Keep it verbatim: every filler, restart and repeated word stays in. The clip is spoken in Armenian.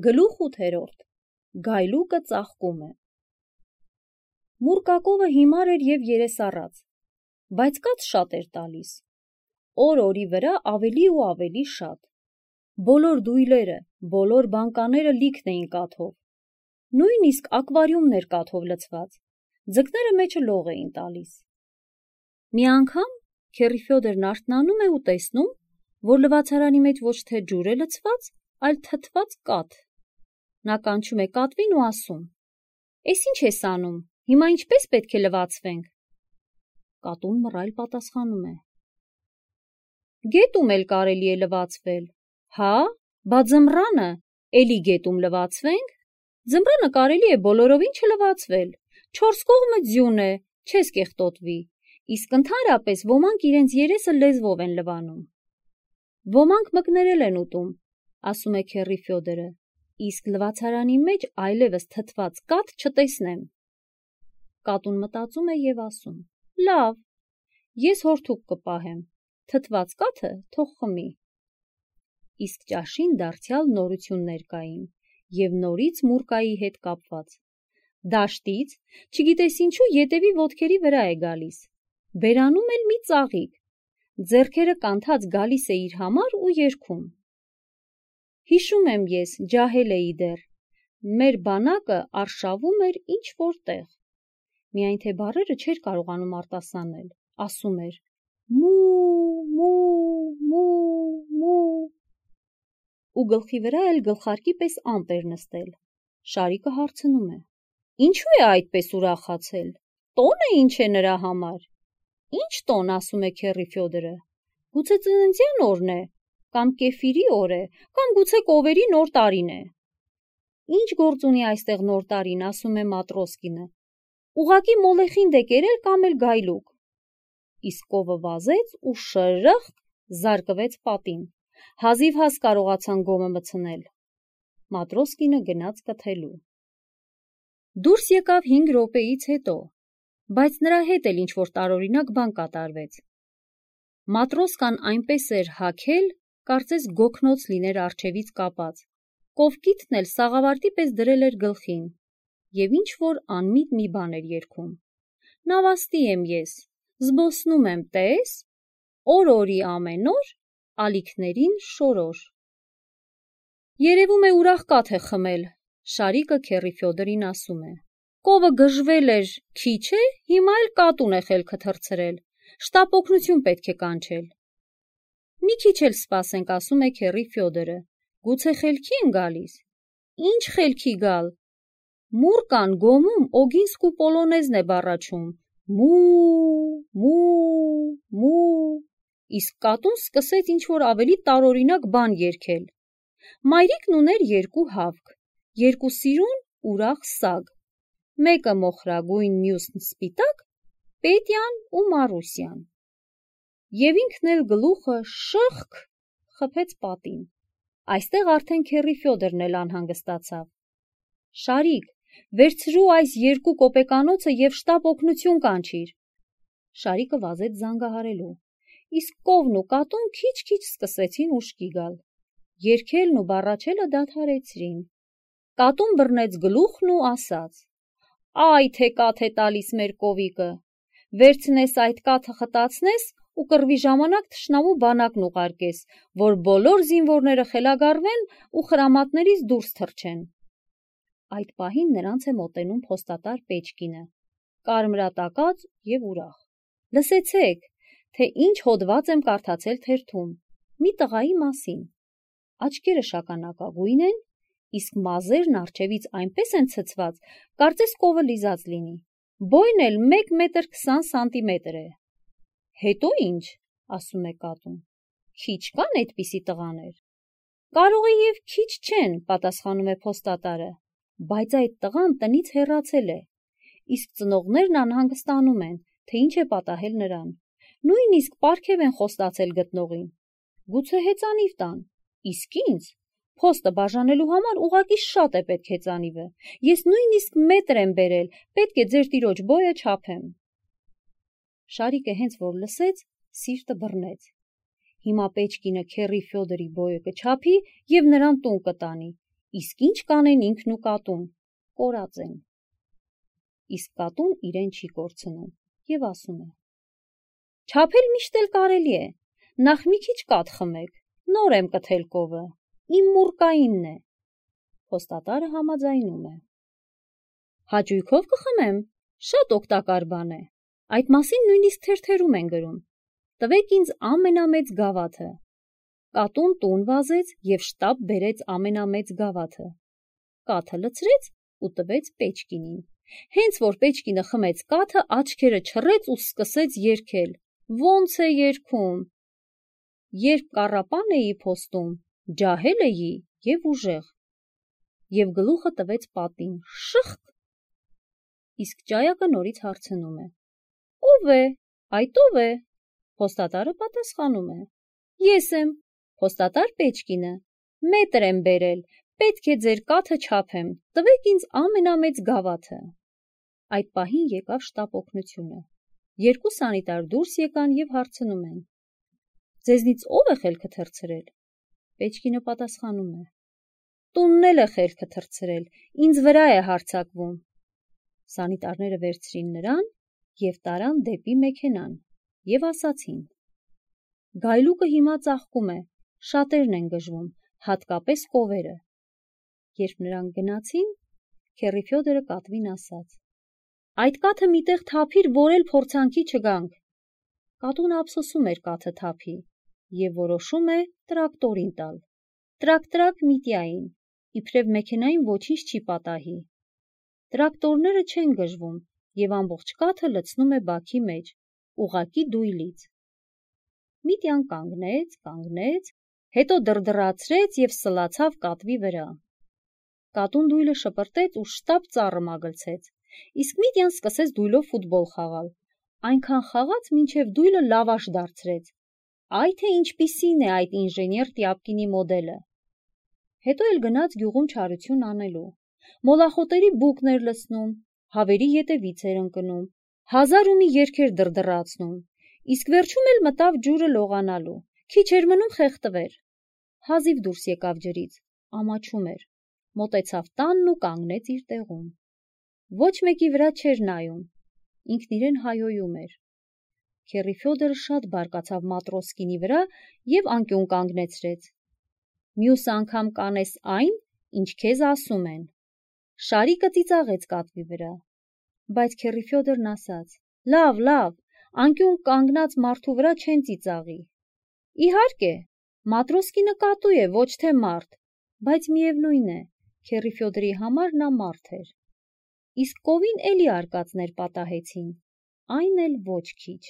Գլուխ ութերորդ. Գայլուկը ծաղկում է։ Մուրկակովը հիմար էր և երեսառած, բայց կաթ շատ էր տալիս, օր-օրի վրա ավելի ու ավելի շատ։ Բոլոր դույլերը, բոլոր բանկաները լիքն էին կաթով, նույնիսկ ակվարիումն էր կաթով լցված, ձկները մեջը լող էին տալիս։ Մի անգամ քեռի Ֆյոդորն արթնանում է ու տեսնում, որ լվացարանի մեջ ոչ թե ջուր է լցված, այլ թթված կաթ։ Նա կանչում է կատվին ու ասում. «Էս ինչ ես անում, հիմա ինչպես պետք է լվացվենք»։ Կատուն մռայլ պատասխանում է. «Գետում էլ կարելի է լվացվել»։ Հա, բա ձմռանը էլի գետում լվացվենք։ Ձմռանը կարելի է բոլորովին չլվացվել, չորս կողմը ձյուն է, չես կեղտոտվի, իսկ ընդհանրապես ոմանք իրենց երեսը լեզվով են լվանում։ Ոմանք մկներել են ուտում, ասում է քեռի Ֆյոդորը, իսկ լվացարանի մեջ այլևս թթված կաթ չտեսնեմ։ Կատուն մտածում է և ասում. «Լավ, ես հորթուկ կպահեմ, թթված կաթը թող խմի»։ Իսկ ճաշին դարձյալ նորություններ կային և նորից Մուրկայի հետ կապված։ Դաշտից, չգիտես ինչու, ետևի ոտքերի վրա է գալիս, բերանում էլ մի ծաղիկ, ձեռքերը կանթած գալիս է իր համար ու երգում. «Հիշում եմ ես, ջահել էի դեռ, մեր բանակը արշավում էր ինչ-որ տեղ»։ Միայն թե բառերը չէր կարողանում արտասանել, ասում էր. «Մու, մու, մու, մու»։ Ու գլխի վրա էլ գլխարկի պես ամպ էր նստել։ Շարիկը հարցնում է. «Ինչու է այդպես ուրախացել, տո՞նը ինչ է նրա համար»։ «Ինչ տոն», ասում է քեռի Ֆյոդորը, «գուցե ծննդյան օրն է, կամ կեֆիրի օր է, կամ գուցե կովերի նոր տարին է»։ «Ինչ գործ ունի այստեղ նոր տարին», ասում է Մատրոսկինը, «ուղղակի մոլեխին դե կերել կամ էլ գայլուկ»։ Իսկ կովը վազեց ու շրըխկ զարկվեց պատին, հազիվհազ կարողացան գոմը մտցնել։ Մատրոսկինը գնաց կթելու։ Դուրս եկավ հինգ րոպեից հետո, բայց նրա հետ էլ ինչ-որ տարօրինակ բան կատարվեց։ Մատրոսկան այնպես էր հագել, կարծես գոգնոց լիներ առջևից կապած, կովկիթն էլ սաղավարտի պես դրել էր գլխին և ինչ-որ անմիտ մի բան էր երգում. «Նավաստի եմ ես, զբոսնում եմ, տես, օր-օրի ամեն օր, ալիքներին շորոր»։ «Երևում է ուրախ կաթ է խմել», Շարիկը քեռի Ֆյոդորին ասում է։ «Կովը գժվել էր, քիչ է, հիմա էլ կատուն է խելքը թռցրել, շտապ օգնություն պետք է կանչել»։ «Մի քիչ էլ սպասենք», ասում է քեռի Ֆյոդորը, «գուցե խելքի են գալիս»։ «Ինչ խելքի գալ, Մուրկան գոմում Օգինսկու պոլոնեզն է բառաչում, մու, մու, մու»։ Իսկ կատուն սկսեց ինչ-որ ավելի տարօրինակ բան երգել։ Մայրիկն ուներ երկու հավք, երկու սիրուն ուրախ սագ, մեկը մոխրագույն, մյուսն սպիտակ, Պետյան ու Մարուսյան։ Եվ ինքն էլ գլուխը շըխկ խփեց պատին։ Այստեղ արդեն քեռի Ֆյոդորն էլ անհանգստացավ։ «Շարիկ, վերցրու այս երկու կոպեկանոցը և շտապ օգնություն կանչիր»։ Շարիկը վազեց զանգահարելու, իսկ կովն ու կատուն քիչ-քիչ սկսեցին ուշքի գալ։ Երգելն ու բառաչելը դադարեցրին։ Կատուն բռնեց գլուխն ու ասաց. «Այ թե կաթ է տալիս մեր կովիկը, վերցնես այդ կաթը խտացնես ու կռվի ժամանակ թշնամու բանակն ուղարկես, որ բոլոր զինվորները խելագարվեն ու խրամատներից դուրս թռչեն»։ Այդ պահին նրանց է մոտենում փոստատար Պեչկինը, կարմրատակած և ուրախ։ «Լսեցեք, թե ինչ հոդված եմ կարդացել թերթում, մի տղայի մասին։ Աչքերը շագանակագույն են, իսկ մազերն առջևից այնպես են ցցված, կարծես կովը լիզած լինի, բոյն էլ մեկ մետր քսան սանտիմետր է»։ «Հետո ինչ», ասում է կատուն, «քիչ կան էդպիսի տղաներ»։ «Կարող է և քիչ չեն», պատասխանում է փոստատարը, «բայց այդ տղան տնից հեռացել է, իսկ ծնողներն անհանգստանում են, թե ինչ է պատահել նրան, նույնիսկ պարգև են խոստացել գտնողին։ Գուցե հեծանիվ տան, իսկ ինձ փոստը բաժանելու համար ուղղակի շատ է պետք հեծանիվը, ես նույնիսկ մետր եմ բերել, պետք է ձեր տիրոջ բոյը չափեմ»։ Շարիկը հենց որ լսեց, սիրտը բռնեց։ Հիմա Պեչկինը քեռի Ֆյոդորի բոյը կչափի և նրան տուն կտանի, Իսկ ինչ կանեն ինքն ու կատուն, կորած են։ Իսկ կատուն իրեն չի կորցնում եւ ասում է. Չափել միշտ էլ կարելի է, նախ մի քիչ կաթ խմեք, նոր եմ կթել կովը, իմ մուրկայինն է։ Փոստատարը համաձայնում է։ Հաճույքով կխմեմ, շատ օգտակար բան է, այդ մասին նույնիսկ թերթերում են գրում, տվեք ինձ ամենամեծ գավաթը։ Կատուն տուն վազեց և շտապ բերեց ամենամեծ գավաթը։ Կաթը լցրեց ու տվեց Պեչկինին։ Հենց որ Պեչկինը խմեց կաթը, աչքերը չռեց ու սկսեց երգել. Ոնց է երգում. Երբ կառապան էի փոստում, ջահել էի և ուժեղ, և գլուխը տվեց պատին, շըխկ։ Իսկ ճայակը նորից հարցնում է. Ո՞վ է, այդ ո՞վ է։ Փոստատարը պատասխանում է. Ես եմ, փոստատար Պեչկինը, մետր եմ բերել, պետք է ձեր կաթը չափեմ, տվեք ինձ ամենամեծ գավաթը։ Այդ պահին եկավ շտապ օգնությունը։ Երկու սանիտար դուրս եկան և հարցնում են. Ձեզնից ո՞վ է խելքը թռցրել։ Պեչկինը պատասխանում է. Տունն էլ է խելքը թռցրել, ինձ վրա է հարձակվում։ Սանիտարները վերցրին նրան և տարան դեպի մեքենան և ասացին. Գայլուկը հիմա ծաղկում է, շատերն են գժվում, հատկապես կովերը։ Երբ նրանք գնացին, Քեռի Ֆյոդորը կատվին ասաց. Այդ կաթը միտեղ թափիր, որ էլ փորձանքի չգանք։ Կատունը ափսոսում էր կաթը թափի և որոշում է տրակտորին տալ։ Տրակ-տրակ Միտյային, իբրև մեքենային ոչինչ չի պատահի։ Տրակտորները չեն գժվում և ամբողջ կաթը լցնում է բաքի մեջ, ուղղակի դույլից։ Միտյան կանգնեց, կանգնեց, հետո դրդռացրեց և սլացավ կատվի վրա։ Կատուն դույլը շպրտեց ու շտապ ծառը մագլցեց, իսկ Միտյան սկսեց դույլով ֆուտբոլ խաղալ, այնքան խաղաց, մինչև դույլը լավաշ դարձրեց։ Այ թե ինչպիսին է այդ ինժեներ Տյապկինի մոդելը։ Հետո էլ գնաց գյուղում չարություն անելու, մոլախոտերի բուկն էր լցնում, հավերի ետևից էր ընկնում, հազար ու մի երգեր դրդռացնում, իսկ վերջում էլ մտավ ջուրը լողանալու, քիչ էր մնում խեղդվեր։ Հազիվ դուրս եկավ ջրից, ամաչում էր, մոտեցավ տանն ու կանգնեց իր տեղում։ Ոչ մեկի վրա չէր նայում, ինքն իրեն հայհոյում էր։ Քեռի Ֆյոդորը շատ բարկացավ Մատրոսկինի վրա և անկյուն կանգնեցրեց։ Մյուս անգամ կանես այն, ինչ քեզ ասում են։ Շարիկը ծիծաղեց կատվի վրա, բայց Քեռի Ֆյոդորն ասաց. Լավ, լավ, անկյուն կանգնած մարդու վրա չեն ծիծաղի։ Իհարկե, Մատրոսկինը կատու է, ոչ թե մարդ, բայց միևնույն է, Քեռի Ֆյոդորի համար նա մարդ էր։ Իսկ կովին էլի արկածներ պատահեցին, այն էլ ոչ քիչ։